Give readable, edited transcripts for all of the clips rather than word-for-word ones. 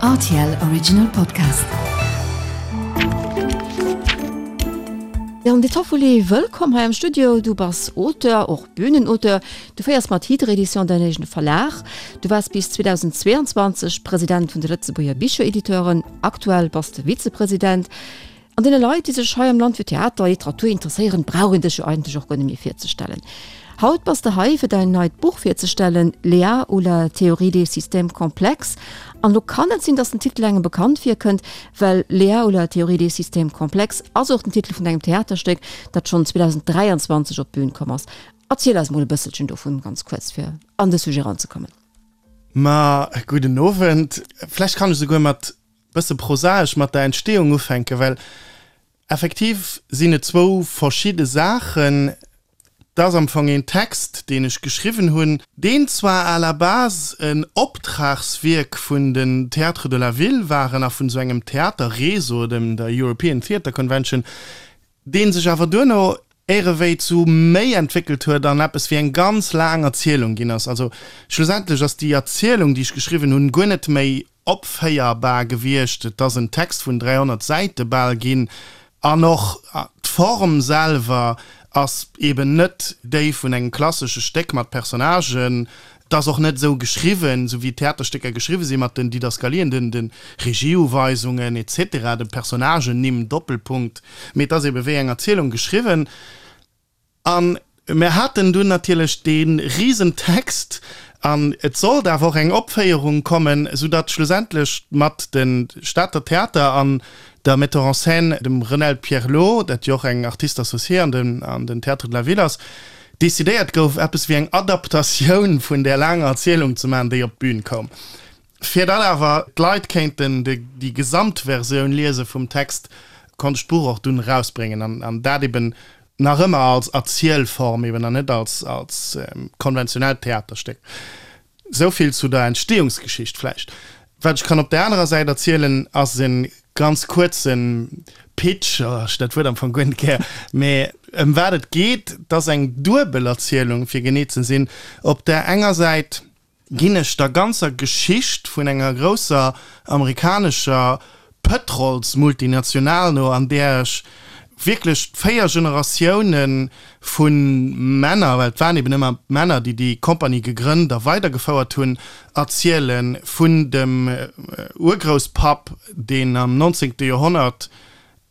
Rtl Original Podcast. Jan De Toffoli, wëllkomm hei am Studio. Du bass Auteur, och Bühnenauteur. Du féiers mat Hydre Edition däin eegene Verlag. Du waars bis 2022 President vun de Lëtzebuerger Bicherediteuren. Aktuell bass de Vizepresident. An deene Leit, déi sech hei am Land fir Theater a Literatur interesséieren, brauch een dech jo eigentlech och guer net méi virzestellen. Haut bass de hei, fir däin neit Buch virzestellen, Léa ou la théorie des systèmes complexes. An elo kann et sinn, dass den Titel engem bekannt virkënnt, well Léa ou la théorie des systèmes complexes ass och den Titel vun engem Theaterstéck, dat schonn 2023 op d'Bün komm ass. Erziel eis mol e bësselchen dovun, ganz kuerz, fir an de Sujet eranzekommen. Ma gudden Owend. Vläicht kann ech esouguer mat bësse prosaesch mat der Entstehung ufänken, well effektiv sinn et zwou verschidde Saachen. Et ass am Fong een Text, deen ech geschriwwen hunn, deen zwar à la base en Optragswierk vun den Théâtres de la Ville waren a vun esou engem Theaterreseau, dem der European Theatre Convention, dee sech awer duerno éirewéi zu méi entwéckelt huet an eppes wéi eng ganz laang Erzielung ginn ass. Also schlussendlech ass déi Erzielung, déi ech geschriwwen hunn, guer net méi opféierbar gewiescht. Et ass en Text vun 300 Säite bal ginn an och d'Form selwer ass eben net déi vun engem klassesche Stéck mat Personnagen. Et ass och net esou geschriwwen, esou wéi Theaterstécker geschriwwe sinn, mat den Didaskalien, den de Regieuweisungen et cetera, de Personnagennimm, Doppelpunkt, mee et ass ebe wéi eng Erzielung geschriwwen. A mir haten dunn natierlech dee Risentext an et sollt awer och eng Opféierung kommen, soudatt schlussendlech mat de Stater Theater an der Metteur en scène, dem Renelde Pierlot, dat jo och eng Artiste associée an den Théâtres de la Ville ass, decidéiert gouf, eppes wéi eng Adaptatioun vun där laanger Erzielung ze maachen, déi op d'Bün koum. Fir datt awer d'Leit kéinten déi Gesamtversioun liese vum Text, konnt ech d'Buch och dunn erausbréngen an dat eben nach ëmmer als Erzielform eben an net als als konventionellt Theaterstéck. Esou vill zu der Entstehungsgeschicht vläicht. Wat ech kann op där anerer Säit erzielen, ass e ganz kuerze Pitch, oh, ech hunn dat Wuert am Fong guer net gär, mä ëm wat et geet, 't ass eng duebel Erzielung, fir genee ze sinn. Op där enger Säit ginn ech der ganzer Geschicht vun enger grousser amerikanescher Pëtrolsmultinational no, an där ech wierklech 4 Generatioune vu Männer, well et waren eben ëmmer Männer, déi déi Compagnie gegrënnt a weidergefouert hunn, erzielen, vun dem Urgrousspapp, deen am 19. Joerhonnert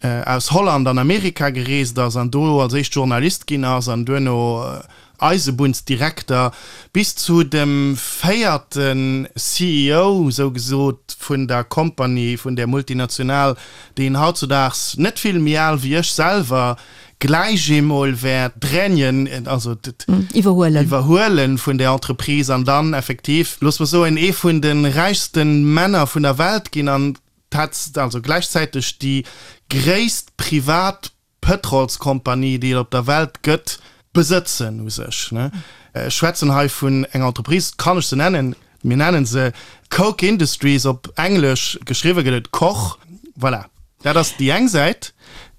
aus Holland an Amerika gereest ass an do als éischt Journalist ginn ass an duerno Eisebunnsdirekter, bis zu dem véierte CEO, sou gesot, vun der Compagnie, vun där Multinational, deen hautzudaags net vill méi al wéi ech selwer gläich eemol wäert d'Rênien, also d'Iwwerhuelen vun där Entreprise an dann effektiv, loosse mer soen, ee vun de räichste Männer vun der Welt ginn an Tats, also gläichzäiteg déi gréisst privat Pëtrolskompanie, déi et op der Welt gëtt, besëtzen u sech. Ech schwätzen hei vun enger Entreprise, kann ech se nennen, mir nennen se Koch Industries, op Englesch geschriwwe gëtt et Koch. Voilà, dat ass déi eng Säit.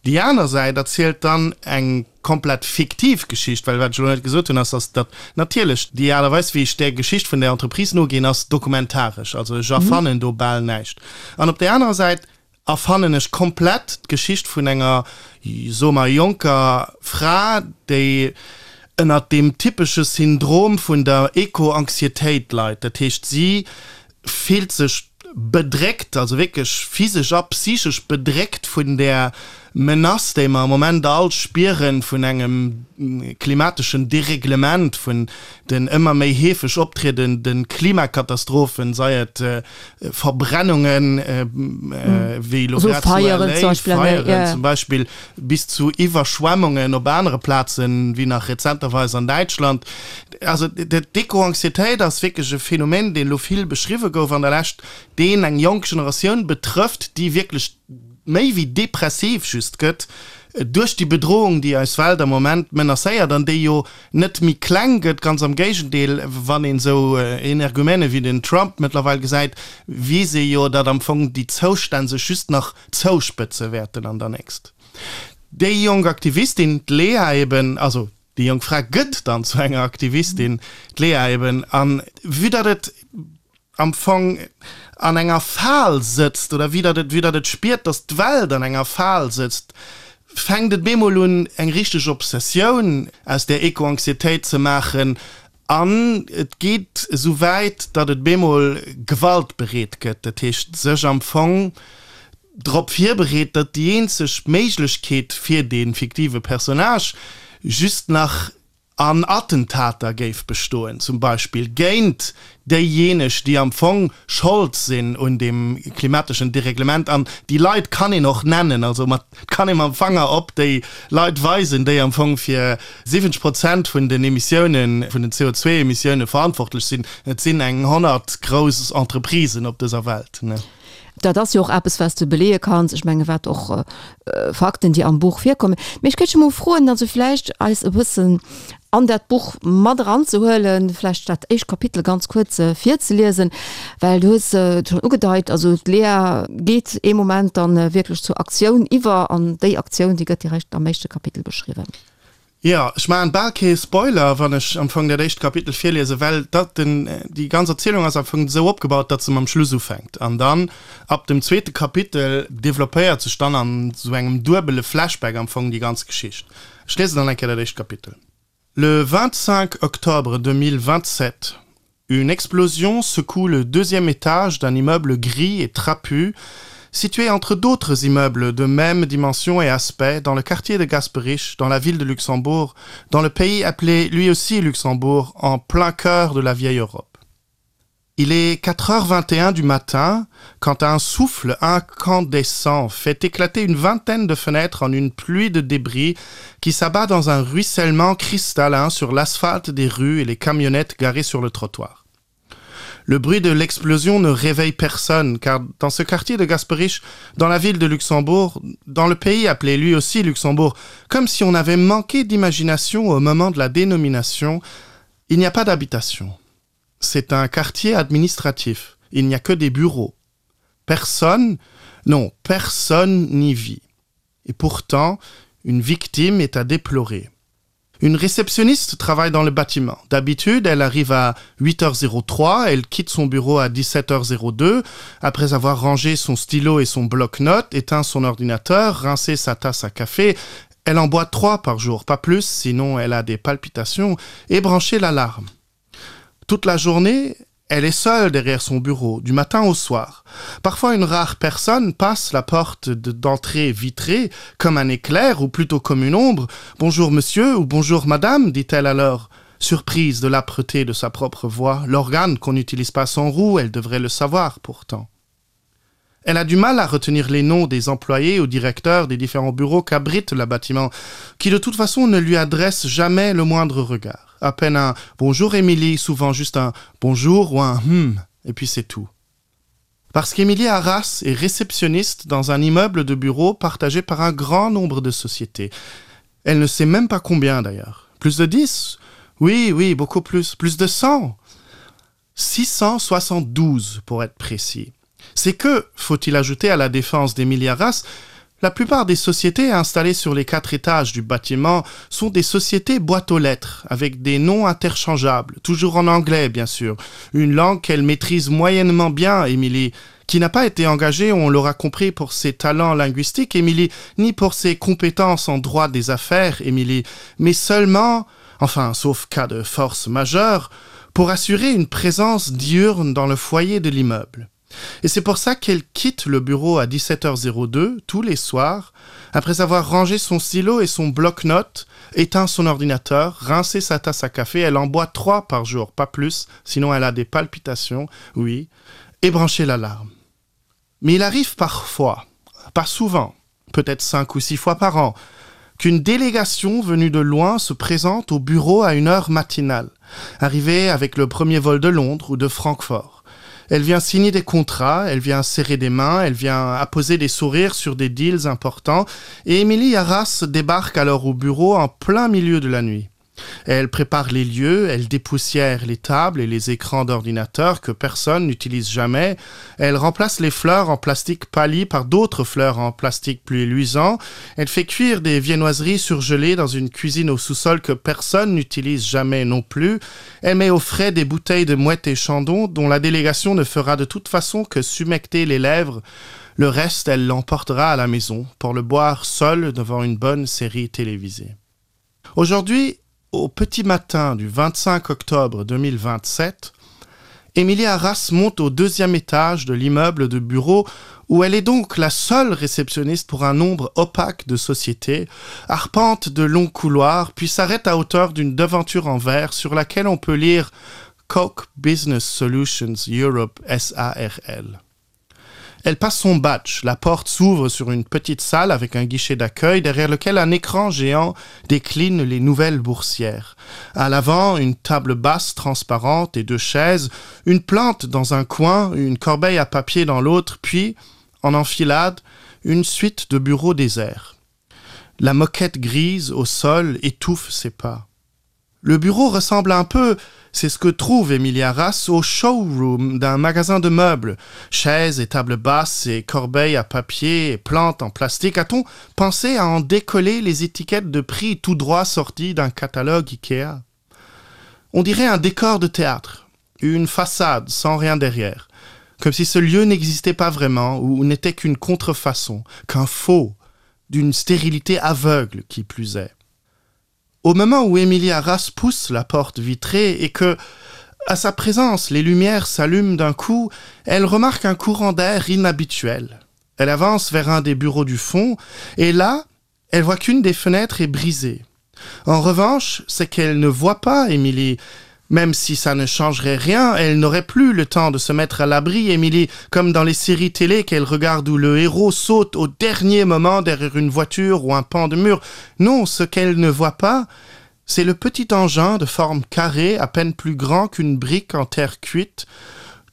Déi aner Säit erzielt dann eng komplett fiktiv Geschicht, well wat ech elo net gesot hunn, ass, dass datt natierlech déi Aart a Weis, wéi ech där Geschicht vun där Entreprise noginn, ass dokumentaresch. Also ech erfannen do bal näischt. An op där anerer Säit erfannen ech komplett d'Geschicht vun enger, soe mer, jonker Fra, déi ënnert deem typesche Syndrom vun der Eco-Anxiétéit leit. Dat heescht, si fillt sech bedréckt, also wierklech physesch a psychesch bedréckt vun där Menace, déi mer am Moment all spieren, vun engem klimateschen Dereglement, vun den ëmmer méi heefeg optriedende Klimakatastrophen, sei et Verbrennungen, wéi elo grad zu LA, Feieren zum Beispill, bis zu Iwwerschwemmungen op anere Plazen, wéi nach rezenterweis an Däitschland. Also d'Eco-Anxiétéit ass wierklech e Phänomen, deen elo vill beschriwwe gouf an der Lescht, deen eng jonk Generatioun betrëfft, déi wierklech méi wéi depressiv just gëtt duerch déi Bedrohung, déi eis Welt am Moment menacéiert an déi jo net méi kleng gëtt, ganz am Géigendeel, wann een esou Energumene wéi den Trump mëttlerweil gesäit, weess ee jo, datt am Fong déi Zoustänn sech just nach zouspëtze wäerten an der nächst. Déi jonk Aktivistin, d'Lea eben, also Déi jonk Fra gëtt dann zu enger Aktivistin, d'Lea eben. An vue datt et am Fong an enger Fal sëtzt, oder wéi datt et, wéi datt et spiert, datt d'Welt an enger Fal sëtzt, fänkt et bemol un, eng richteg Obsessioun aus där Eco-Anxiétéit ze maachen an et geet esou wäit, datt et bemol gewaltbereet gëtt, dat heescht sech am Fong drop virbereet, datt déi eenzeg Méiglechkeet fir dee fiktive Personnage just nach an Attentater géif bestoen, zum Beispill géint déijeeneg, déi am Fong Schold sinn un deem klimateschen Dereglement. An déi Leit kann een och nennen, also mat, kann ee mam Fanger op déi Leit weisen, déi am Fong fir 70 Prozent vun den Emissiounen, vun den CO2-Emissioune verantwortlech sinn. Et sinn eng 100 grouss Entreprisen op dëser Welt. Dat ass jo och eppes, wat s de beleeë kanns, ech menge wat och Fakten, déi am Buch virkommen. Mee ech géif dech emol froen, also vläicht eis e bëssen an dat Buch mat eranzehuelen, vläicht dat éischt Kapitel ganz kuerz virzeliesen, well du hues et schonn ugedeit, also d'Lea geet ee Moment dann wierklech zur Aktioun iwwer an déi Aktioun, déi gëtt direkt am éischte Kapitel beschriwwen. Jo, ech maachen bal kee Spoiler, wann ech am Fong dat éischt Kapitel virliesen, well dat den, déi ganz Erzielung ass am Fong esou opgebaut, datt se mam Schluss ufänkt. An dann, ab dem zweete Kapitel, developpéiert sech dann an esou engem duebele Flashback am Fong déi ganz Geschicht. Ech liesen dann eng Kéier dat éischt Kapitel. Le 25 octobre 2027, une explosion secoue le deuxième étage d'un immeuble gris et trapu, situé entre d'autres immeubles de même dimension et aspect dans le quartier de Gasperich, dans la ville de Luxembourg, dans le pays appelé lui aussi Luxembourg, en plein cœur de la vieille Europe. Il est 4h21 du matin quand un souffle incandescent fait éclater une vingtaine de fenêtres en une pluie de débris qui s'abat dans un ruissellement cristallin sur l'asphalte des rues et les camionnettes garées sur le trottoir. Le bruit de l'explosion ne réveille personne, car dans ce quartier de Gasperich, dans la ville de Luxembourg, dans le pays appelé lui aussi Luxembourg, comme si on avait manqué d'imagination au moment de la dénomination, il n'y a pas d'habitation. C'est un quartier administratif, il n'y a que des bureaux. Personne, non, personne n'y vit. Et pourtant, une victime est à déplorer. Une réceptionniste travaille dans le bâtiment. D'habitude, elle arrive à 8h03, elle quitte son bureau à 17h02, après avoir rangé son stylo et son bloc-notes, éteint son ordinateur, rincé sa tasse à café, elle en boit trois par jour, pas plus, sinon elle a des palpitations, et branché l'alarme. Toute la journée, elle est seule derrière son bureau, du matin au soir. Parfois une rare personne passe la porte d'entrée vitrée comme un éclair ou plutôt comme une ombre. Bonjour monsieur ou bonjour madame, dit-elle alors. Surprise de l'âpreté de sa propre voix, l'organe qu'on n'utilise pas sans roue, elle devrait le savoir pourtant. Elle a du mal à retenir les noms des employés ou directeurs des différents bureaux qu'abrite le bâtiment, qui de toute façon ne lui adresse jamais le moindre regard. À peine un bonjour Émilie, souvent juste un bonjour ou un hum, et puis c'est tout. Parce qu'Émilie Arras est réceptionniste dans un immeuble de bureaux partagé par un grand nombre de sociétés. Elle ne sait même pas combien d'ailleurs. Plus de 10 Oui, oui, beaucoup plus, plus de 100. 672 pour être précis. C'est que, faut-il ajouter à la défense des milliards, la plupart des sociétés installées sur les quatre étages du bâtiment sont des sociétés boîtes aux lettres, avec des noms interchangeables, toujours en anglais bien sûr, une langue qu'elle maîtrise moyennement bien, Émilie, qui n'a pas été engagée, on l'aura compris, pour ses talents linguistiques, Émilie, ni pour ses compétences en droit des affaires, Émilie, mais seulement, enfin sauf cas de force majeure, pour assurer une présence diurne dans le foyer de l'immeuble. Et c'est pour ça qu'elle quitte le bureau à 17h02 tous les soirs, après avoir rangé son stylo et son bloc-notes, éteint son ordinateur, rincé sa tasse à café, elle en boit trois par jour, pas plus, sinon elle a des palpitations, oui, et branché l'alarme. Mais il arrive parfois, pas souvent, peut-être cinq ou six fois par an, qu'une délégation venue de loin se présente au bureau à une heure matinale, arrivée avec le premier vol de Londres ou de Francfort. Elle vient signer des contrats, elle vient serrer des mains, elle vient apposer des sourires sur des deals importants, et Émilie Arras débarque alors au bureau en plein milieu de la nuit. Elle prépare les lieux, elle dépoussière les tables et les écrans d'ordinateur que personne n'utilise jamais. Elle remplace les fleurs en plastique pâli par d'autres fleurs en plastique plus luisant. Elle fait cuire des viennoiseries surgelées dans une cuisine au sous-sol que personne n'utilise jamais non plus. Elle met au frais des bouteilles de mouette et chandon dont la délégation ne fera de toute façon que s'humecter les lèvres. Le reste, elle l'emportera à la maison pour le boire seule devant une bonne série télévisée. Aujourd'hui, au petit matin du 25 octobre 2027, Émilie Arras monte au deuxième étage de l'immeuble de bureau où elle est donc la seule réceptionniste pour un nombre opaque de sociétés, arpente de longs couloirs, puis s'arrête à hauteur d'une devanture en verre sur laquelle on peut lire Coke Business Solutions Europe SARL. Elle passe son badge. La porte s'ouvre sur une petite salle avec un guichet d'accueil derrière lequel un écran géant décline les nouvelles boursières. À l'avant, une table basse transparente et deux chaises, une plante dans un coin, une corbeille à papier dans l'autre, puis, en enfilade, une suite de bureaux déserts. La moquette grise au sol étouffe ses pas. Le bureau ressemble un peu, c'est ce que trouve Emilia Rass au showroom d'un magasin de meubles. Chaises et tables basses et corbeilles à papier et plantes en plastique. A-t-on pensé à en décoller les étiquettes de prix tout droit sorties d'un catalogue Ikea? On dirait un décor de théâtre, une façade sans rien derrière, comme si ce lieu n'existait pas vraiment ou n'était qu'une contrefaçon, qu'un faux, d'une stérilité aveugle qui plus est. Au moment où Émilie Arras pousse la porte vitrée et que, à sa présence, les lumières s'allument d'un coup, elle remarque un courant d'air inhabituel. Elle avance vers un des bureaux du fond et là, elle voit qu'une des fenêtres est brisée. En revanche, c'est qu'elle ne voit pas Émilie. Même si ça ne changerait rien, elle n'aurait plus le temps de se mettre à l'abri, Émilie, comme dans les séries télé qu'elle regarde où le héros saute au dernier moment derrière une voiture ou un pan de mur. Non, ce qu'elle ne voit pas, c'est le petit engin de forme carrée, à peine plus grand qu'une brique en terre cuite,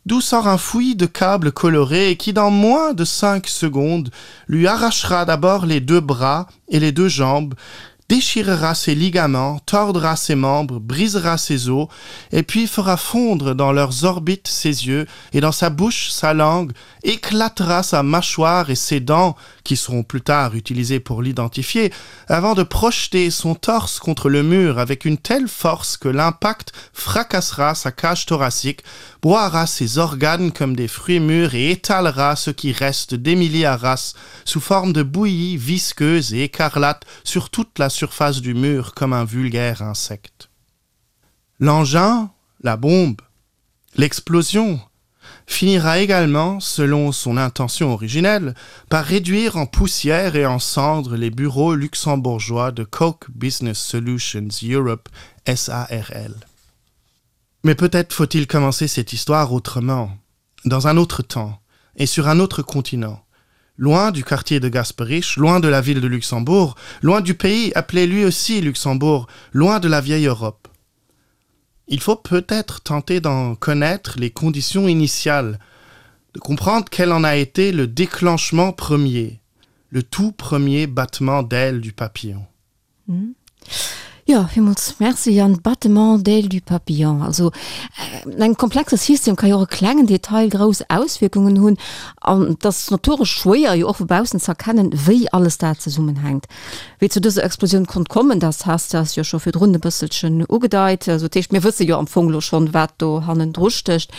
d'où sort un fouillis de câbles colorés et qui, dans moins de cinq secondes, lui arrachera d'abord les deux bras et les deux jambes, déchirera ses ligaments, tordra ses membres, brisera ses os, et puis fera fondre dans leurs orbites ses yeux, et dans sa bouche sa langue, éclatera sa mâchoire et ses dents, qui seront plus tard utilisées pour l'identifier, avant de projeter son torse contre le mur avec une telle force que l'impact fracassera sa cage thoracique, broiera ses organes comme des fruits mûrs et étalera ce qui reste d'Émilie Arras sous forme de bouillie visqueuse et écarlate sur toute la surface du mur comme un vulgaire insecte. L'engin, la bombe, l'explosion finira également, selon son intention originelle, par réduire en poussière et en cendres les bureaux luxembourgeois de Coke Business Solutions Europe SARL. Mais peut-être faut-il commencer cette histoire autrement, dans un autre temps et sur un autre continent, loin du quartier de Gasperich, loin de la ville de Luxembourg, loin du pays appelé lui aussi Luxembourg, loin de la vieille Europe. Il faut peut-être tenter d'en connaître les conditions initiales, de comprendre quel en a été le déclenchement premier, le tout premier battement d'aile du papillon. Mm. Jo, villmools Merci Yann. Battement d'aile du papillon, also an engem komplexe System ka jo och e klengen Detail grouss Auswierkungen hunn an et ass notoresch schwéier, jo och vu baussen ze erkennen, wéi alles dat zesummenhänkt. Wéi et zu dëser Explosioun konnt kommen, dat has de eis jo scho virdrun e bësselchen ugedeit. Also dat heescht, mir wësse jo am Fong elo schonn, wat do hannendru stécht.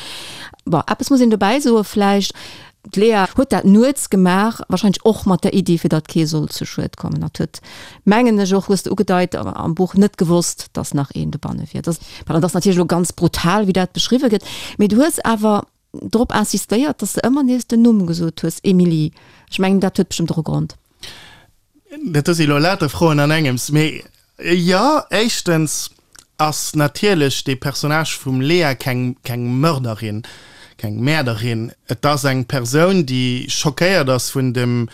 Bon, eppes muss een dobäi soe vläicht, D'Lea huet dat nuets gemaach, wahrscheinlech och mat der Iddi, fir datt kee soll zu Schued kommen. Hatt huet, mengen ech och, hues de ugedeit am Buch, net gewosst, datt nach een dobanne wier. Dat ass, dat ass natierlech elo ganz brutal, wéi dat beschriwwe gëtt, mee du hues awer drop insistéiert, datt s de ëmmer nees den Numm gesot hues, Émilie. Ech mengen, dat huet bestëmmt och e Grond. Dat si elo lauter Froen an engems. Mee jo, éischtens ass natierlech dee Personnage vum Lea keng, keng Mörderin, keng Mäerderin. Et ass eng Persoun, déi schockéiert ass vun dem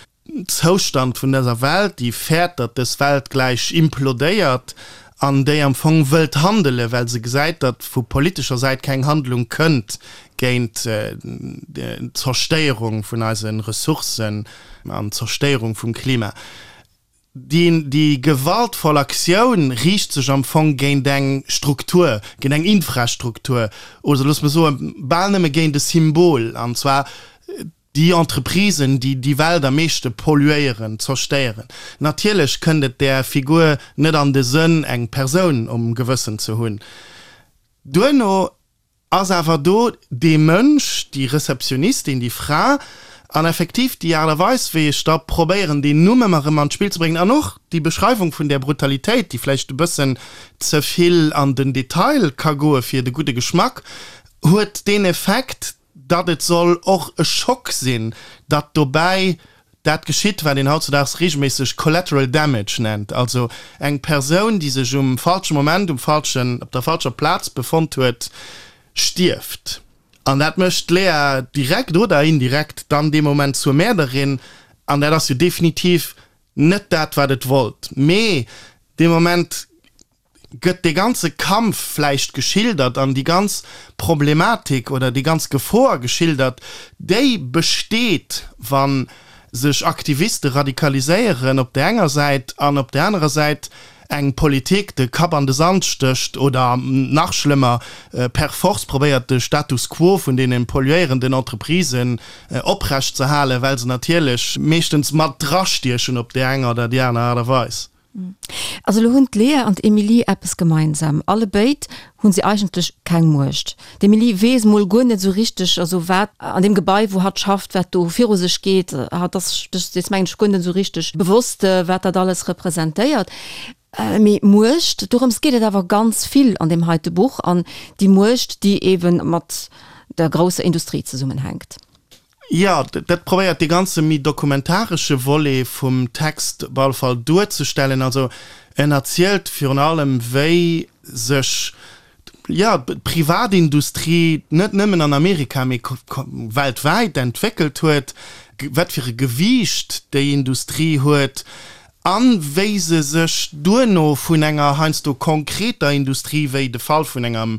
Zoustand vun dëser Welt, déi fäert, datt dës Welt gläich implodéiert an déi am Fong wëllt handelen, well se gesäit, datt vu politescher Säit keng Handlung kënnt géint d'Zerstéierung vun eise Ressourcen an d'Zerstéierung vum Klima. Déi, déi gewaltvoll Aktioun riicht sech am Fong géint eng Struktur, géint eng Infrastruktur, oder loosse mer soen, bal nëmme géint e Symbol, an zwar déi Entreprisen, déi déi Welt am meeschte polluéieren, zerstéieren. Natierlech kënnt et där Figur net an de Sënn, eng Persoun um Gewëssen ze hunn. Duerno ass awer do dee Mënsch, déi Receptionnistin, déi Fra, an effektiv déi Aart a Weis, wéi ech da probéieren, deen Numm ëmmer erëm an d'Spill ze bréngen, an och déi Beschreiwung vun där Brutalitéit, déi vläicht e bëssen ze vill an den Detail ka goe fir de gudde Geschmack, huet deen Effekt, datt et soll och e Schock sinn, datt dobäi dat geschitt, wat een hautzudaags regelméisseg collateral damage nennt, also eng Persoun, déi sech um falsche Moment um falschen, op der falscher Plaz befonnt huet, stierft. An dat mécht d'Lea direkt oder indirekt dann dee Moment zur Mäerderin, an dat ass jo definitiv net dat, wat et wollt. Mee dee Moment gëtt dee ganze Kampf vläicht geschildert an déi ganz Problematik oder déi ganz Gefor geschildert, déi besteet, wa sech Aktiviste radikaliséieren op där enger Säit an op där anerer Säit eng Politik de Kapp an de Sand stécht oder nach schlëmmer per force probéiert de Status quo vun deene polluéierenden Entreprisen oprecht ze halen, well se natierlech meeschtens mat drastiechen op déi eng oder déi aner Aart a Weis. Also elo hunn d'Lea an d'Emilie eppes gemeinsam, Allebéid hu si eigentlech keng Muecht. D'Emilie weess mol guer net esou richteg, also wat an deem Gebai, wou hatt schafft, wat do viru sech geet. Hatt ass sech dees, mengen ech, guer net esou richteg bewosst, wat dat alles representéiert. Mee Muecht, dorëms geet et awer ganz vill an deem heite Buch, an déi Muecht, déi eebe mat der grousser Industrie zesummenhänkt. Jo, dat probéiert dee ganze méi dokumentaresche Volet vum Text op alle Fall duerzestellen. Also en erzielt virun allem, wéi sech, jo, d'Privatindustrie net nëmmen an Amerika, mee weltwäit entwéckelt huet, wat fir e Gewiicht déi Industrie huet A wéi se sech duerno vun enger heiansdo konkreter Industrie, wéi de Fall vun enger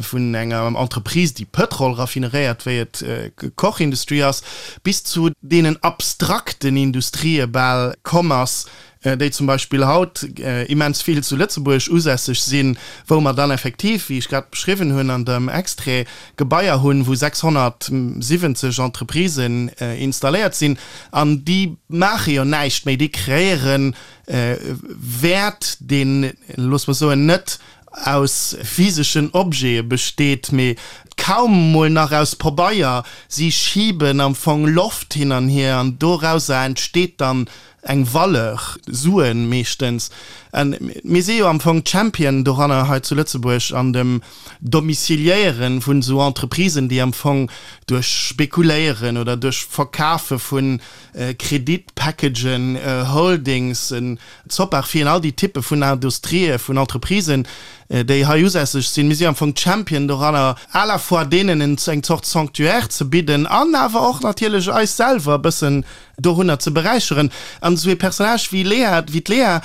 vun enger Entreprise, déi Pëtrol raffineréiert, wéi et d'Koch Industry ass, bis zu deenen abstrakten Industrië bal komm ass, déi zum Beispill haut immens vill zu Lëtzebuerg usässeg sinn, wou mer dann effektiv, wéi ech grad beschriwwen hunn an dem Extrait, Gebaier hunn, wou 670 Entreprisen installéiert sinn. An déi maache jo näischt méi, déi kreéiere Wäert, deen, loosse mer soen, net aus physeschen Objete besteet, mee kaum mol nach aus Pabeier. Si schiben am Fong Loft hin an hier an dorauser entsteet dann eng Valeur, Suen meeschtens. An mir si jo am Fong Champion doranner hei zu Lëtzebuerg an dem Domiciliéiere vun esou Entreprisen, déi am Fong duerch Spekuléieren oder duerch Verkafe vu Kreditpackagen, Holdings, Zoppachfirmen, all déi Typpe vun Industrië, vun Entreprisen, déi hei usässeg sinn, mir si am Fong Champion doranner, à la fois deenen eng Zort Sanctuaire ze bidden an awer och natierlech eis selwer e bëssen dorunner ze beräicheren. An esou ee Personnage wéi Lea, wéi d'Lea,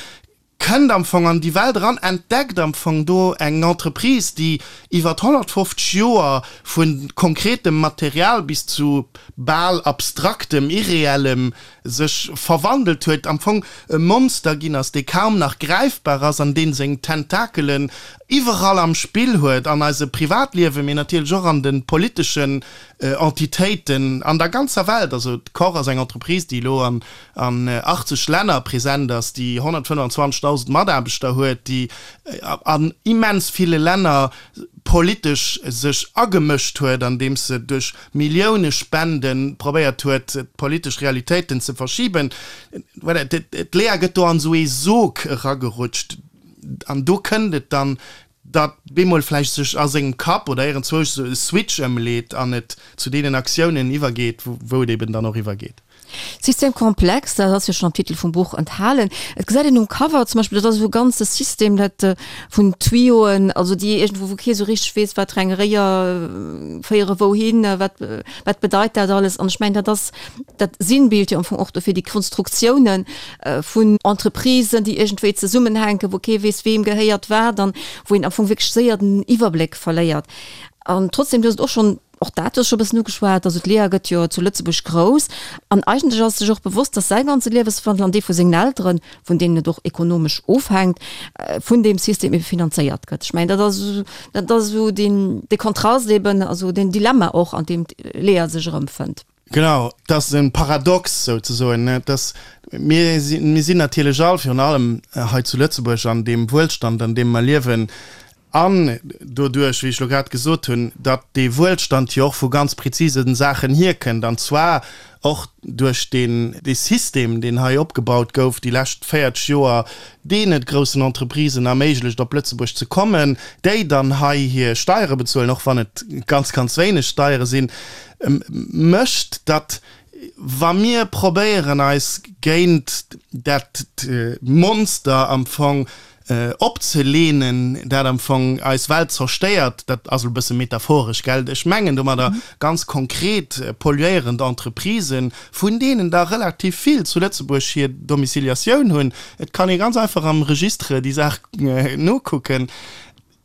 kënnt am Fong an déi Welt eran, entdeckt am Fong do eng Entreprise, déi iwwert 150 Joer vu konkretem Material bis zu bal abstraktem, irreellem sech verwandelt huet, am Fong e Monster ginn ass, dee kaum nach gräifbar ass an dee seng Tentakelen iwwerall am Spill huet, an eise Privatliewen, mee natierlech och an de politeschen Entitéiten an der ganzer Welt. Also d'Kor ass eng Entreprise, déi elo an 80 Länner present ass, déi 125.000 Mataarbechter huet, déi an immens ville Länner politesch sech agemëscht huet, andeems se duerch Milliounespende probéiert huet, d'politesch Realitéiten ze verschiben. Voilà, d'Lea gëtt do an esou ee Sog eragerutscht an do kënnt et dann datt bemol vläicht sech a sengem Kapp oder iergendzwousch esou e Switch ëmleet an et zu deenen Aktiounen iwwergeet, wou et eben dann och iwwergeet. Système complexe, dat ass jo schonn am Titel vum Buch enthalen. Et gesäit een um Cover zum Beispill, dat ass esou e ganze System, dat vun Tuyauen, also déi iergendwou, wou kee sou richteg weess, wat fir eng Réier féiere wouhin, wat, wat bedeit dat alles. An ech mengen, dat ass dat Sinnbild jo am Fong och dofir, déi Konstruktiounen, vun Entreprisen, déi iergendwéi zesummenhänken, wou kee weess, weem gehéiert wat an wou een am Fong wierklech séier den Iwwerbléck verléiert. An trotzdem, du hues et och schonn. Och dat hues scho bëssen ugeschwat. Also d'Lea gëtt jo zu Lëtzebuerg grouss an eigentlech ass sech och bewosst, datt säi ganze Lieweswandel an dee vu sengen Elteren, vun deenen et och ekonomesch ofhänkt, vun deem System ebe finanzéiert gëtt. Ech mengen, dat ass, dat ass esou deen, dee Kontrast eben, also deen Dilemma och, an deem d'Lea sech erëmfënnt. Genau, et ass e Paradox souzesoen, ne, dass mir sinn, mir sinn natierlech all, virun allem hei zu Lëtzebuerg an deem Wuelstand, an deem mer liewen, An doduerch, wéi ech elo grad gesot hunn, datt dee Wuelstand jo och vu ganz prezise Saachen hierkënnt, an zwar och duerch deen, dee System, deen hei opgebaut gouf déi lescht 40 Joer, deen et groussen Entreprisen erméiglecht, op Lëtzebuerg ze kommen, déi dann hei hir Steiere bezuelen, och wann et ganz, ganz wéineg Steiere sinn, mécht, datt wa mir probéieren, eis géint dat Monster am Fong opzeleenen, dat am Fong eis Welt zerstéiert, dat ass elo e bësse metaphoresch, gell, ech mengen domadder ganz konkret polluéierend Entreprisen, vun deenen der relativ vill zu Lëtzebuerg hir Domiciliatioun hunn, et kann ee ganz einfach am Registre déi Saach nokucken,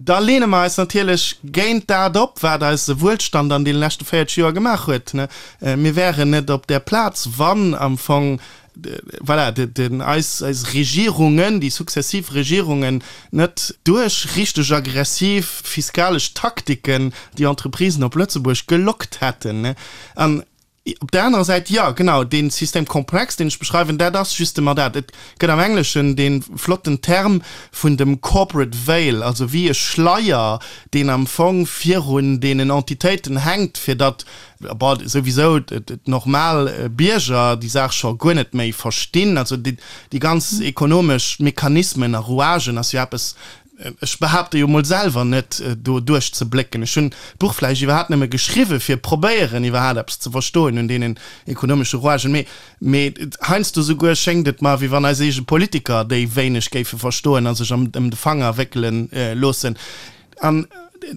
da leene mer eis natierlech géint dat op, wat eise Wuelstand an deene leschte 40 Joer gemaach huet. Mir wären net op där Plaz, wann am Fong voilà, den, eis, eis Regierungen, déi successiv Regierungen net duerch richteg aggressiv fiskalesch Taktiken déi Entreprisen op Lëtzebuerg gelockt hätten. An op där anerer Säit, jo, genau, dee Système complexe, deen ech beschreiwen, dat ass justement dat. Et gëtt am Engleschen dee flotten Term vun dem corporate veil, also wéi e Schleier, deen am Fong virun deenen Entitéiten hänkt, fir datt Bon, souwisou d'normal Bierger déi Saach scho guer net méi verstinn. Also déi ganz ekonomesch Mechanismen a Rouagen ass jo eppes, ech behaapte jo mol selwer net do duerchzeblécken. Ech hunn d'Buch vläicht iwwerhaapt nëmme geschriwwe fir probéieren iwwerhaapt eppes ze verstoen un deenen ekonomesche Rouagen. Mee, mee heiansdo souguer schéngt et mer, wéi wann eis eege Politiker déi wéineg géife verstoen a sech ëm de Fanger wéckele loossen. An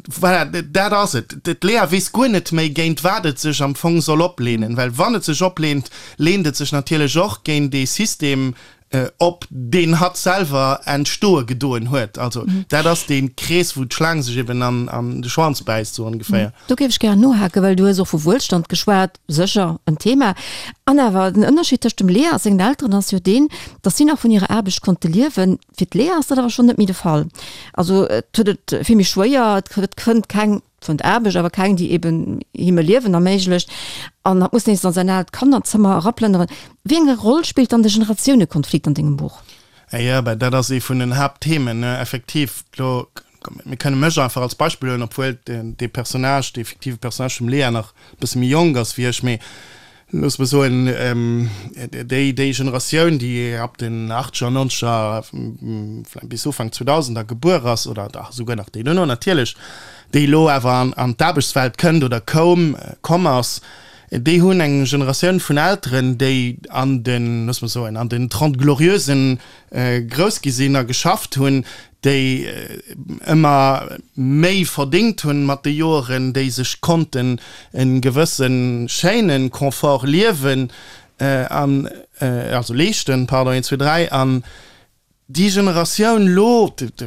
voilà, dat ass et. D'Lea weess guer net méi, géint wat et sech am Fong soll opleenen. Well wann et sech opleent, leent et sech natierlech och géint ee System op, deen hatt selwer entstoe gedoen huet. Also dat ass dee Krees, wou d'Schlaang sech eben an de Schwanz bäisst, sou ongeféier. Do géif ech gären nohaken, well du hues och vu Wuelstand geschwat, sécher en Thema. An awer, den Ënnerscheed tëscht dem Lea a sengen Elteren ass jo deen, datt si nach vun hirer Aarbecht konnte liewen. Fir d'Lea ass dat awer schonn net méi de Fall. Also et huet et vill méi schwéier, et fënnt keng, fënnt Aarbecht, awer keng, déi eben him e Liewen erméiglecht. An hatt muss nees an säin aalt Kannerzëmmer eraplënneren. Wéi eng Roll spillt dann de Generatiounekonflikt an dengem Buch? Jo, ben dat ass ee vun den Haaptthemen, effektiv. Elo, mir kënne mech einfach als Beispill huelen, obwuel dee Personnage, dee fiktive Personnage vum Lea nach e bësse méi jonk ass wéi ech, mee Looss mer soen, déi, déi Generatioun, déi ab den Achtzeger, Nonzeger, vläicht bis Ufank Zweedausender gebuer ass, oder dach esouguer nach déi duerno natierlech, déi elo awer an, an d'Aarbechtswelt kënnt oder koum, komm ass, déi hunn eng Generatioun vun Elteren, déi an den, looss mer soen, an den Trente Glorieusen grouss gi sinn a geschafft hunn, déi ëmmer méi verdéngt hunn mat de Joeren, déi sech konnten e gewësse schéine Confort liewen an, also leeschten, pardon, een, zwee, dräi, an déi Generatioun elo, et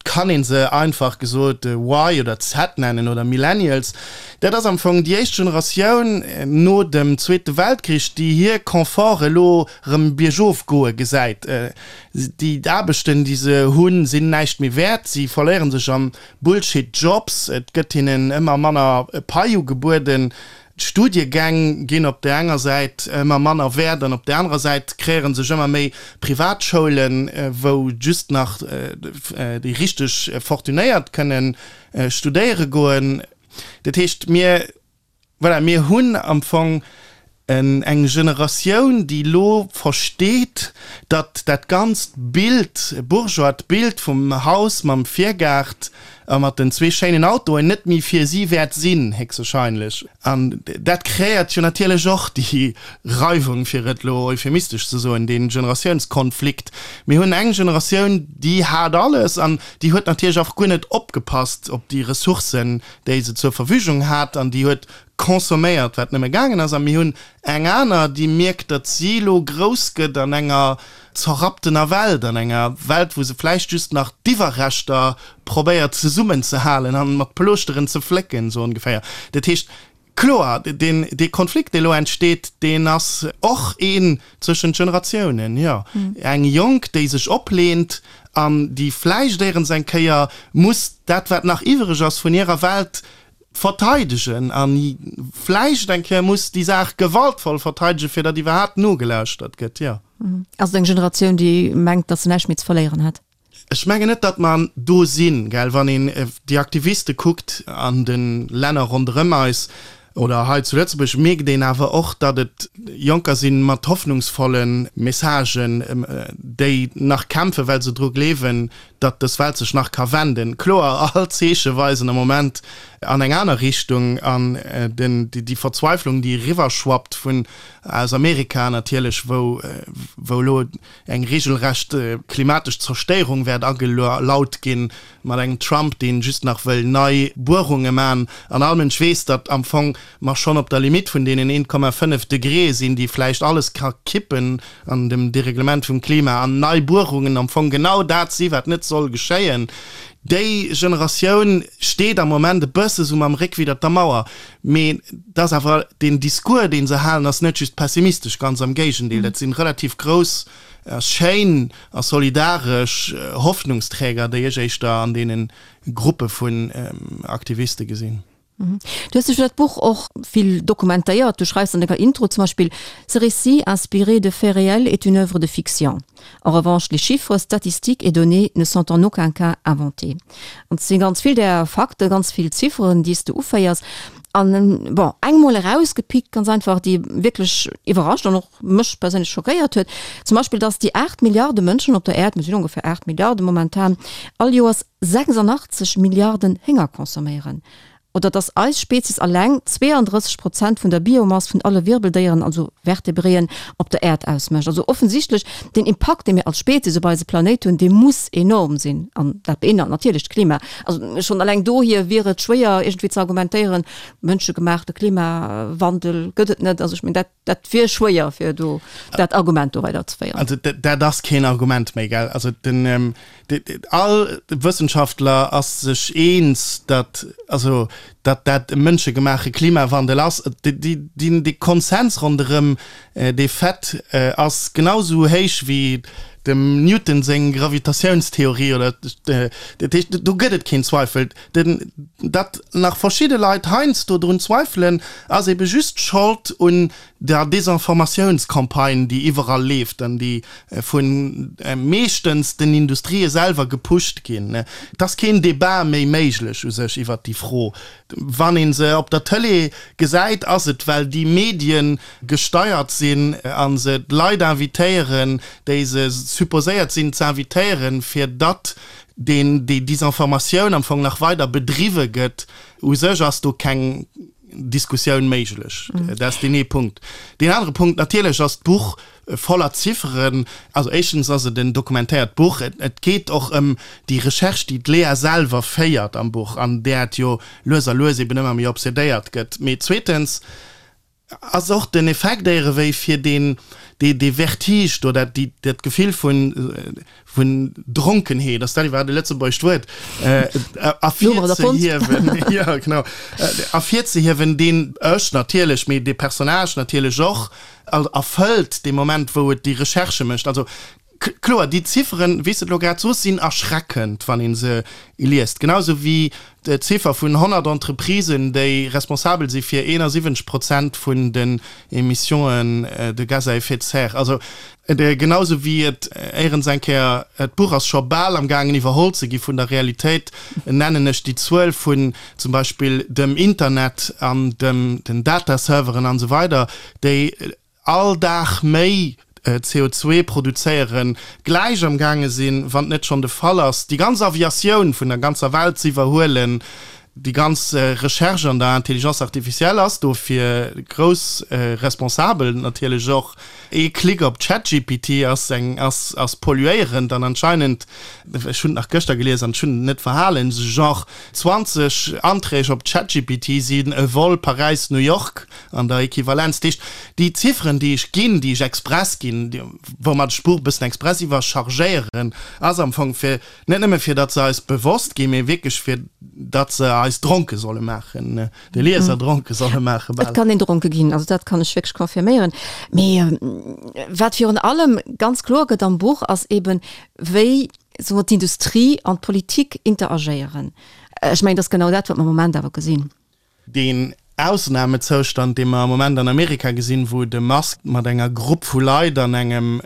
kann ee se einfach gesot Y oder Z nennen oder Millennials, dat ass am Fong déi éischt Generatioun no dem Zweete Weltkrich, déi hir Confort elo erëm biergof goe gesäit. Déi Aarbechten, déi se hunn, sinn näischt méi wäert. Si verléiere sech an Bullshit Jobs. Et gëtt hinnen ëmmer manner Pai ugebueden. D'Studiegäng ginn op där enger Säit ëmmer manner wäert an op där anerer Säit kreéiere sech ëmmer méi Privatschoulen, wou just nach déi richteg Fortunéiert kënne studéiere goen. Dat heescht, mir Voilà, mir hunn am Fong eng Generatioun, déi elo versteet, datt dat ganzt Bild, bourgeoist Bild vum Haus mam Virgaart a mat den zwee schéinen Autoen net méi fir si wäert sinn, héchstwahrscheinlech. An dat kreéiert jo natierlech och déi Reiwung, fir et elo euphemistesch ze soen, dee Generatiounskonflikt. Mir hunn eng Generatioun, déi hat alles an déi huet natierlech och guer net opgepasst op déi Ressourcen, déi se zur Verfügung hat an déi huet. consomméiert, wat nëmme gaangen ass. A mir hunn eng aner, déi mierkt, datt si elo grouss gëtt an enger zerrapptener Welt, an enger Welt, wou se vläicht just nach d'Iwwerreschter probéiert zesummenzehalen an mat Plooschteren ze flécken, sou ongeféier. Dat heescht, kloer, deen, dee Konflikt, dee elo entsteet, deen ass och een zwëschent Generatiounen, jo. Eng Jonk, déi sech opleent an déi vläicht éierens eng Kéier muss dat, wat nach iwwereg ass vun hirer Welt, verteidegen a vläicht eng Kéier muss déi Saach gewaltvoll verteidegen, fir datt iwwerhaapt nogelauschtert gëtt, jo. Ass et eng Generatioun, déi mengt, datt se näischt méi ze verléieren hätt? Ech mengen net, datt mer do sinn, gell. Wann een déi Aktiviste kuckt an de Länner ronderëm eis oder hei zu Lëtzebuerg, mierkt een awer och, datt et Jonker si mat hoffnungsvolle Messagen, déi nach kämpfen, well se dru gleewen, datt dës Welt sech nach ka wenden. Kloer, all Zeeche weisen am Moment an eng aner Richtung an den, déi Verzweiflung, déi eriwwerschwappt vun aus Amerika natierlech, wou, wou elo eng regelrecht klimatesch Zerstéierung wäert agelaut ginn, mat engem Trump, deen just nach wëll nei Buerunge man an all Mënsch weess, datt am Fong mer schonn op der Limite vun deenen 1,5 Degré sinn, déi vläicht alles ka kippen an dem Dereglement vum Klima, an nei Buerungen am Fong genau dat si wat net soll geschéien. Déi Generatioun steet am Moment e bësse sou mam Réck widder der Mauer. Mee et ass awer, deen Discours, dee se halen, ass net just pessimistesch, ganz am Géigendeel, dat si relativ grouss a schéin a solidaresch Hoffnungsträger, déi ech éischter an deene Gruppe vun Aktiviste gesinn. Du hues dech fir dat Buch och vill dokumentéiert. Du schreifs an denger Intro zum Beispill, Ce récit inspiré de faits réels est une œuvre de fiction. En revanche, les chiffres, statistiques et données ne sont en aucun cas inventés. An et si ganz vill där Fakten, ganz vill Zifferen, déi s de uféiers. An, bon, eng mol erausgepickt, ganz einfach, déi wierklech iwwerrascht an och mech perséinlech schockéiert huet, zum Beispill, dass déi 8 Milliarde Mënschen op der Äerd, mir sinn ongeféier 8 Milliarde momentan, all Joers 86 Milliarden Hénger consomméieren. Oder dass eis Spezies alleng 32 Prozent vun der Biomass vun alle Wirbeldéieren, also Vertebréen, op der Äerd ausmécht. Also offensichtlech, den Impakt, dee mir als Spezies op eise Planéit hunn, dee muss enorm sinn. An dat beinhalt natierlech d'Klima. Also schonn alleng dohier wier et schwéier iergendwéi ze argumentéieren, mënschegemaachte Klimawandel gëtt et net. Also ech mengen, dat. Dat wier schwéier fir do dat Argument do weider ze féieren. Also dat ass keen Argument méi, gell? Also den, all Wëssenschaftler ass sech eens, datt, also datt dat e mënschegemaache Klimawandel ass. Dee Konsens ronderëm dee Fait ass genau esou héich wéi dem Newton seng Gravitatiounstheorie oder, dat heescht, do gëtt et keen Zweifel. Den, datt nach verschidde Leit heiansdo drun zweifelen, ass ebe just Schold un der Desinformatiounscampagne, déi iwwerall leeft an déi vu meeschtens den Industrië selwer gepusht ginn. Et ass keen Debat méi méiglech u sech iwwert déi Fro. Wann ee se op der Tëlee gesäit, ass et, well déi Medien gesteiert sinn a se d'Leit invitéieren, déi se supposéiert sinn z'invitéieren, fir datt deen déi Disinformatioun am Fong nach weider bedriwwe gëtt, u sech ass do keng Diskussioun méiglech. Dat ass deen ee Punkt. Deen anere Punkt, natierlech ass d'Buch voller Zifferen. Also éischtens ass et en dokumentéiert Buch. Et geet och ëm déi Recherche, déi d'Lea selwer féiert am Buch an där et jo lues a lues eben ëmmer méi obsedéiert gëtt. Mee zweetens, Ass och den Effekt éierewéi fir deen, dee, dee Vertige do, dat, déi, dat Gefill vun, vun Dronkenheet, ass dat iwwerhaapt e lëtzebuergescht Wuert, ervirzehiewen, jo, genau, ervirzehiewen, deen ech natierlech, mee dee Personnage natierlech och erfëllt, dee Moment, wou et déi Recherchë mécht. Also Kloer, déi Zifferen, wéi s de et elo grad sos, sinn erschreckend, wann ee se liest. Genau esou wéi d'Ziffer vun 100 Entreprisen, déi responsabel si fir 71 Prozent vun den Émissions de gaz à effet de serre. Also genau esou wéi et éierens eng Kéier, d'Buch ass scho bal am gaangen iwwerholl ze gi vun der Realitéit, nennen ech déi Zuel vun zum Beispill dem Internet an den Dataserveren an esou weider, déi all Dag méi CO2 produzéieren, gläich am gaange sinn, wann et net schonn de Fall ass, déi ganz Aviatioun vun der ganzer Welt ze iwwerhuelen. Déi ganz Recherche an der Intelligence artificielle ass dofir grouss responsabel natierlech och. Ee Klick op ChatGPT ass eng, ass, ass polluéierend an anscheinend, ech hunn et nach gëschter gelies an ech hunn et net verhalen, sou genre 20 Anträg op ChatGPT sinn e Vol Paräis-New York an der Equivalenz. Dat heescht, déi Zifferen, déi ech ginn, déi ech express ginn, woumat ech d'Buch e bëssen express iwwerchargéieren, ass am Fong fir, net nëmme fir datt se eis bewosst ginn, mee wierklech fir datt se eis dronke solle maachen, de Lieser dronke solle maache bal. Et kann een dronke ginn, also dat kann ech wierklech confirméieren. Mee wat virun allem ganz kloer gëtt am Buch ass eben, wéi, soe mer, d'Industrie an d'Politik interagéieren. Ech mengen, dat ass genau dat, wat mer am Moment awer gesinn. Deen Ausnamezoustand, dee mer am Moment an Amerika gesinn, wou de Musk mat enger Grupp vu Leit an engem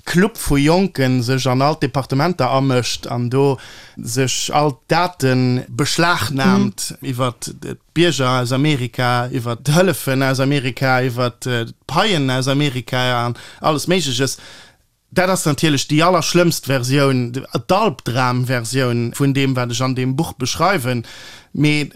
Club vu Jonken sech an all d'Departementer amëscht an do sech all d'Date beschlagnaamt iwwert d'Bierger aus Amerika, iwwert d'Hëllefen aus Amerika, iwwert d'Paien aus Amerika an alles Méigleches, Dat ass natierlech déi allerschlëmmst Versioun, d'Albdramversioun vun deem, wat ech an deem Buch beschreiwen. Mee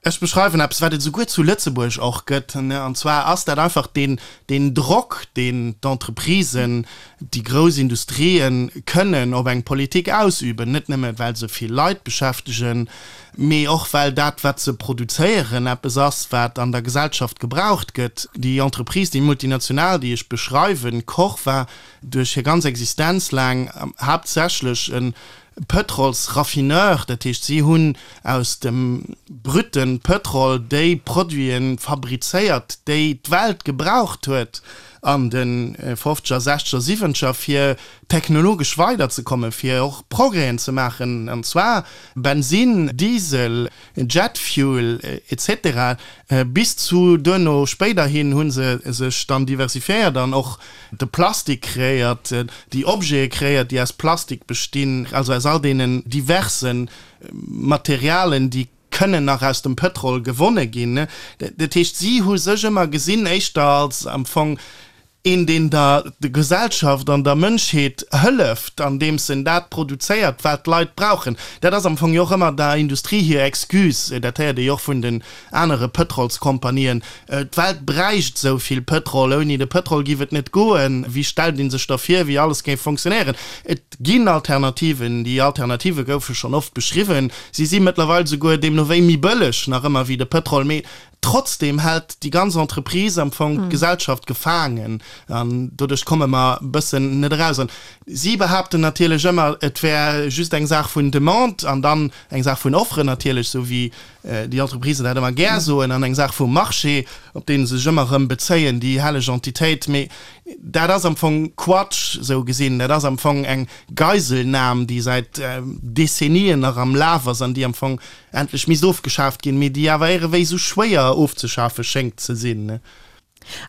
ech beschreiwen eppes, wat et esouguer zu Lëtzebuerg och gëtt, an zwar ass dat einfach deen, deen Drock, deen d'Entreprisen, déi grouss Industrien kënnen op eng Politik ausüben, net nëmme well se vill Leit beschäftegen, mee och well dat, wat se produzéieren, eppes ass, wat an der Gesellschaft gebraucht gëtt. Déi Entreprise, déi Multinational, déi ech beschreiwen, Koch, war duerch hir ganz Existenz laang haaptsächlech e Pëtrolsraffineur, dat heescht, si hunn aus dem brütte Pëtrol déi Produite fabrizéiert, déi d'Welt gebraucht huet an de fofzeger, sechzeger, siwwenzeger, fir technologesch weiderzekommen, fir och Progrèsen ze maachen, an zwar Bensin, Diesel, Jet Fuel, etc. Bis zu duerno spéiderhin hu se sech dann diversifiéiert an och de Plastik kreéiert, déi Objete kreéiert, déi aus Plastik bestinn, also aus all deenen diverse Materialen, déi kënnen nach aus dem Pëtrol gewonne ginn. Dat heescht, si hu sech ëmmer gesinn éischter als am Fong Een, deen der Gesellschaft an der Mënschheet hëlleft, andeems en dat produzéiert, wat d'Leit brauchen. Dat ass am Fong jo och ëmmer der Industrie hir Excuse, dat héiert ee jo och vun den anere Pëtrolskompanien, D'Welt bräicht esou vill Pëtrol, ouni de Pëtrol giff et net goen. Wéi stellt ee sech da vir, wéi alles géif fonctionnéieren? Et ginn Alternativen, déi Alternative goufe schonn oft beschriwwen, si si mëttlerweil souguer deemno wéi méi bëlleg nach ëmmer wéi de Pëtrol, mee Trotzdem hält déi ganz Entreprise am Fong d'Gesellschaft gefaangen an doduerch komme mer e bëssen net eraus. An si behaapten natierlech ëmmer, et wär just eng Saach vun Demande an dann eng Saach vun Offre natierlech, esou wéi déi Entreprisen dat ëmmer gär soen, an eng Saach vum Marché, op dee se sech ëmmer erëm bezéien, déi helleg Entitéit. Mee dat ass am Fong Quatsch, esou gesinn. Dat ass am Fong eng Geiselnam, déi säit Dezennien nach am Laf ass an déi am Fong endlech misst ofgeschaaft ginn, mee déi awer éirewéi esou schwéier ofzeschafe schéngt ze sinn.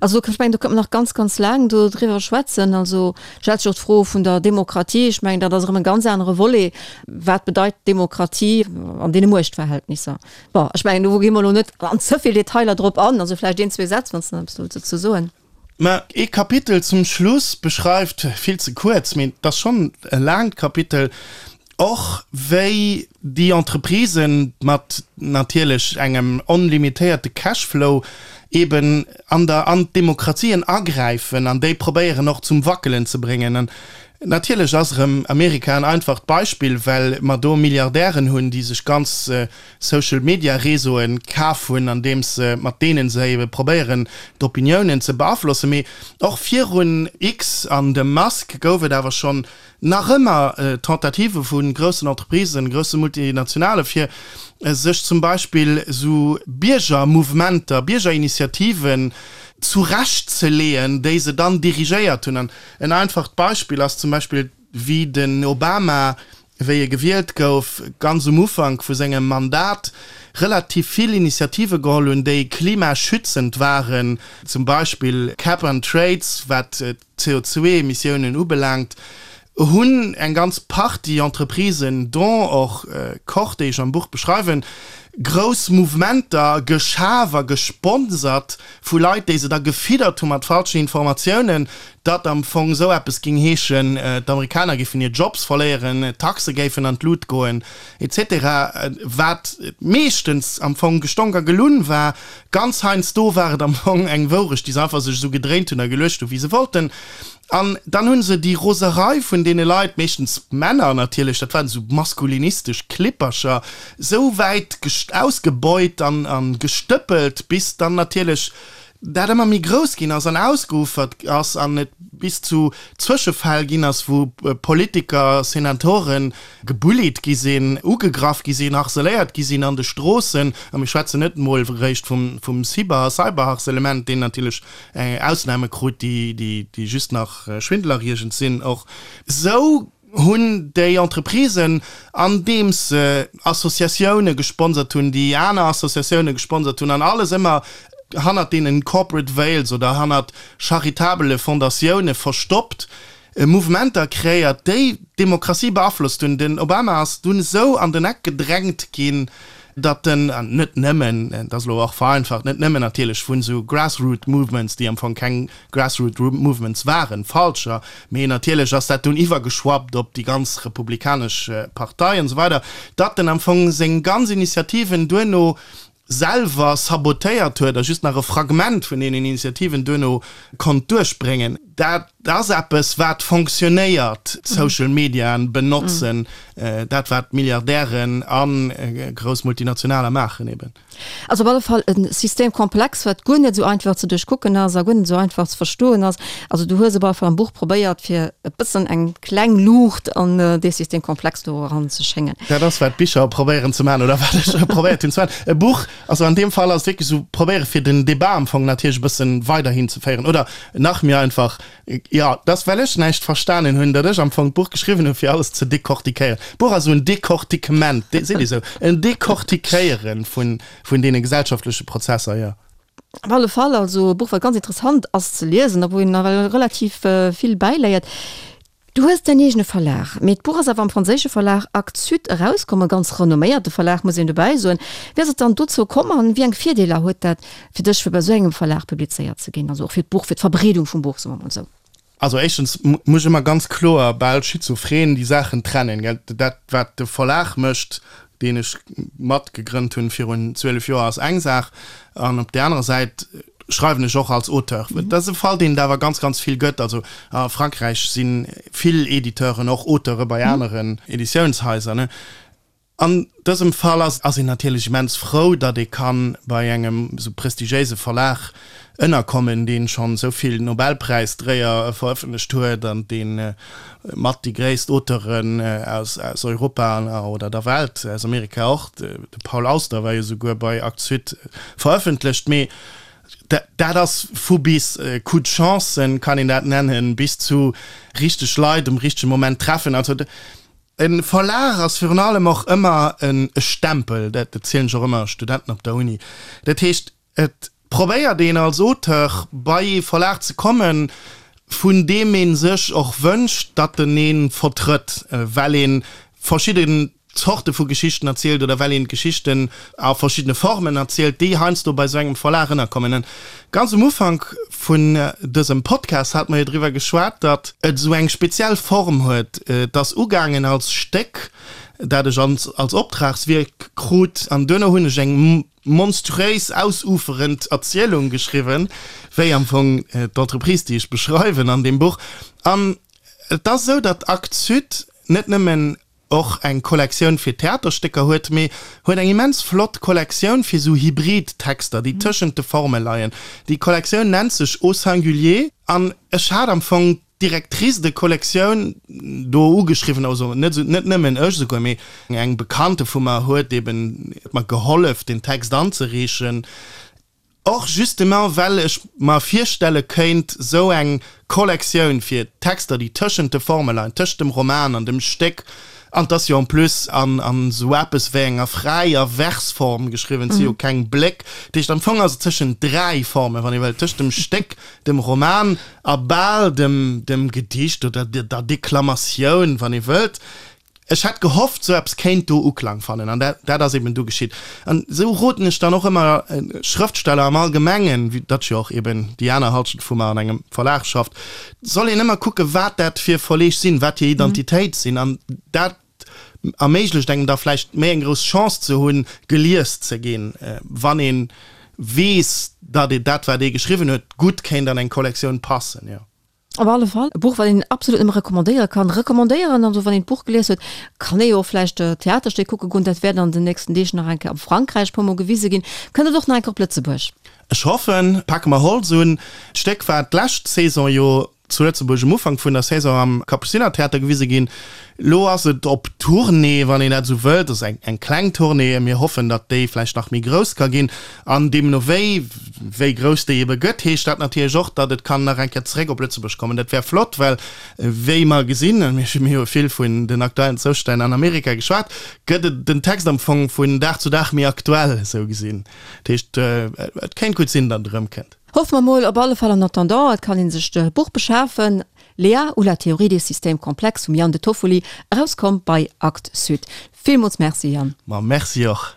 Also ech mengen, do kënnt mer nach ganz, ganz laang do driwwer schwätzen. Also stellt sech och d'Fro vun der Demokratie. Ech mengen, dat ass erëm e ganz anere Volet. Wat bedeit Demokratie an deene Muechtverhältnisser? Bon, ech mengen, do gi mer elo net an ze vill Detailer drop an. Also vläicht een, zwee Sätz, wann s de nach eppes wëlls dozou soen. Mä ee Kapitel zum Schluss beschreift, vill ze kuerz, mee et ass schonn e laangt Kapitel, och wéi déi Entreprisen mat natierlech engem onlimitéierte Cashflow eben an der an d'Demokratien agräifen an déi probéieren och zum Wackelen ze bréngen. An natierlech ass erëm Amerika en einfacht Beispill, well mer do Milliardären hunn, déi sech ganz Social Media Réseauen kaf hunn, andeems se mat deenen se ebe probéieren d'Opiniounen ze beaflossen. Mee och virun X an dem Musk gouf et awer schonn nach ëmmer Tentativë vu groussen Entreprisen, grousse Multinationale fir sech zum Beispill esou Biergermouvementer, Biergerinitiativen zurecht ze leeën, déi se dann dirigéiert hunn. An en einfacht Beispill ass zum Beispill wéi den Obama wéi e gewielt gouf, ganz um Ufank vu sengem Mandat relativ vill Initiative geholl hunn, déi klimaschützend waren, zum Beispill Cap and Trades, wat d'CO2-Emissiounen ubelaangt, hunn eng ganz Partie Entreprisen, dont och Koch, déi ech am Buch beschreiwen, grouss Mouvementer geschaf a gesponsert vu Leit, déi se da gefiddert hu mat falschen Informatiounen, datt am Fong esou eppes géing heeschen, d'Amerikaner géifen hir Jobs verléieren, d'Taxe géifen an d'Lut goen, etc. Wat meeschtens am Fong gestonk a gelunn war. Ganz heiansdo war et am Fong eng Wourecht, déi se einfach sech esou gedréint hunn a geluecht hunn, wéi se wollten. An dann hu se déi Roserei vun deene Leit, meeschtens Männer natierlech, dat waren esou maskulinistesch Klippercher, esou wäit ausgebeut an gestëppelt, bis dann natierlech dat ëmmer méi grouss ginn ass an ausgeufert ass an et bis zu Zwëschefäll ginn ass, wou Politiker, Senatoren gebullied gi sinn, ugegraff gi sinn, harceléiert gi sinn an de Stroossen. A mir schwätzen net emol eréischt vum Cyber Cyberharcèlement, deen natierlech Ausname krut, déi just nach schwindelerreegend sinn. Och esou hunn déi Entreprisen, andeems se Associatioune gesponsert hunn, déi aner Associatioune gesponsert hunn, an alles ëmmer hannert deenen Corporate Veils oder hannert charitabele Fondatioune verstoppt, Mouvementer kreéiert, déi d'Demokratie beaflosst hunn. Den Obama ass dunn esou an den Eck gedrängt ginn, datt en, an net nëmmen, dat ass elo och vereinfacht, net nëmmen natierlech vun esou Grassroot Movements, déi am Fong keng Grassroot Movements waren, falscher, mee natierlech ass dat dunn iwwergeschwappt op déi ganz republikanesch Partei an esou weider, datt en am Fong seng ganz Initiativen duerno selwer sabotéiert huet a just nach e Fragment vun deenen Initiativen duerno konnt duerchbréngen. Dat ass eppes, wat fonctionnéiert, Social Mediaen benotzen, dat wat Milliardären a grouss Multinationaler maachen eben. Ass op alle Fall e Système complexe, wat guer net esou einfach ze duerchkucken ass a guer net esou einfach ze verstoen ass. Also du hues op alle Fall am Buch probéiert, fir e bëssen eng kleng Luucht an dee Système complexe do eran ze schéngen. Dat ass, wat Bicher probéieren ze maachen oder wat ech probéiert hunn ze maachen. E Buch, also an deem Fall ass et wierklech esou, probéiere fir den Débat am Fong natierlech e bësse weiderhin ze féieren oder nach méi einfach, jo, et ass well ech näischt verstanen hunn, datt ech am Fong d'Buch geschriwwen hunn, fir alles ze decortiquéieren. D'Buch ass esou en Decortiquement, seet ee sou, en Decortiquéiere vun deene gesellschaftleche Prozesser, jo. Op alle Fall also e Buch, wat ganz interessant ass ze liesen a wou een nawell relativ vill bäiléiert. Du hues däin eegene Verlag, mee d'Buch ass awer am franséische Verlag Actes Sud erauskomm, e ganz renomméierte Verlag, muss een dobäi soen. Wéi ass et dann dozou komm an wéi eng Virdeeler huet dat fir dech, fir bei esou engem Verlag publizéiert ze ginn, also och fir d'Buch, fir d'Verbreedung vum Buch, soe mer mol esou? Also éischtens muss ech ëmmer ganz kloer, bal schizophren, déi Saachen trennen, gell. Dat, wat de Verlag mécht, deen ech mat gegrënnt hunn virun 12 Joer, ass eng Saach, an op där anerer Säit schreiwen ech och als Auteur. Dat ass e Fall, deen et awer ganz, ganz vill gëtt. Also a Frankräich si vill Editeuren och Auteure bei aneren Editiounshaiser, ne. An dësem Fall ass ass een natierlech immens frou, datt ee ka bei engem esou prestigiéise Verlag ënnerkommen, dee schonn esou vill Nobelpräisdréier verëffentlecht huet an dee mat déi gréisst Auteuren aus aus Europa oder der Welt, aus Amerika och, de Paul Auster war jo souguer bei Actes Sud verëffentlecht. Mee dat ass vu bis Coup de chance, kann een dat nennen, bis zu richteg Leit um richtege Moment treffen. Also E Verlag ass virun allem och ëmmer e Stempel, dat erzielen ech och ëmmer Studenten op der Uni. Dat heescht, et probéiert een als Auteur bei ee Verlag ze kommen, vun deem ee sech och wënscht, datt en ee vertrëtt, well ee verschidden Zorte vu Geschichten erzielt oder well een d'Geschichten a verschiddene Formen erzielt, déi heiansdo bei esou engem Verlag ënnerkommen. An ganz um Ufank vun dësem Podcast hate mer jo driwwer geschwat, datt et esou eng speziell Form huet. Et ass ugaangen als Stéck, dat ech als Optragswierk krut, an duerno hunn ech eng monstruéis ausuferend Erzielung geschriwwen, wéi am Fong d'Entreprise, déi ech beschreiwen an deem Buch. An et ass esou, datt Actes Sud net nëmmen och eng Kollektioun fir Theaterstécker huet, mee huet eng immens flott Kollektioun fir sou hybrid Texter, déi tëschent de Forme leien. Déi Kollektioun nennt sech Au singulier an ech hat am Fong d'Directrice de collection do ugeschriwwen, also net sou, net nëmmen ech esouguer, mee eng Bekannte vu mer huet eben mer gehollef den Text anzereechen. Och justement well ech mer virstelle kéint, sou eng Kollektioun fir Texter, déi tëschent de Forme leien, tëscht dem Roman an dem Stéck, an 't ass jo en plus an sou eppes wéi enger fräier Versform geschriwwen, 't si jo keng Bléck, dat heescht am Fong ass et tëschent 3 Formen, wann ee wëllt, tëscht dem Stéck, dem Roman a bal dem Gedicht oder der Deklamatioun, wann ee wëllt. Ech hätt gehofft, sou eppes kéint do Uklang fannen, an dat, dat ass eben du geschitt. An esou roden ech dann och ëmmer Schrëftsteller am Allgemengen, vue datt jo och eben déi aner Halschent vu mer an engem Verlag schafft, soll een ëmmer kucke wat dat fir Verleeg sinn, wat hir Identitéit sinn, an dat erméiglecht engem da vläicht méi eng grouss Chance ze hunn, gelies ze ginn, wann ee weess, datt dat wat ee geschriwwen huet, gutt kéint an eng Kollektioun passen, jo. Op alle Fall e Buch, wat een absolut nëmme recommandéiere kann. Recommandéieren, also wann een d'Buch gelies huet, kann ee jo och vläicht d'Theaterstéck kucke goen. Dat wäert an den nächsten Deeg nach eng Kéier am Frankräich e puer Mol gewise ginn. Kënnt et och nach eng Kéier op Lëtzebuerg? Ech hoffen. Pake mer Holz un. D'Stéck war d'lescht Saison jo zu Lëtzebuerg um Ufank vun der Saison am Kapuzinertheater gewise ginn. Lo ass et op Tournée, wann een dat esou wëllt. Dat ass eng eng kleng Tournée. Mir hoffen, datt déi vläicht nach méi grouss ka ginn. An deemno wéi, wéi grouss déi ebe gëtt, heescht dat natierlech och, datt et kann nach eng Kéier zeréck op Lëtzebuerg kommen. Dat wär flott, well wéi mer gesinn, a mir hu vill vun den aktuellen Zoustänn an Amerika geschwat, gëtt et den Text am Fong vun Dag zu Dag méi aktuell, esou gesinn. Dat heescht, et kéint gutt sinn, datt et erëmkënnt. Hoffe mer mol op alle Fall. En attendant, et kann ee sech d'Buch beschafen, Léa ou la théorie des systèmes complexes vum Yann De Toffoli, erauskomm bei Actes Sud. Villmools Merci Yann. Ma merci och.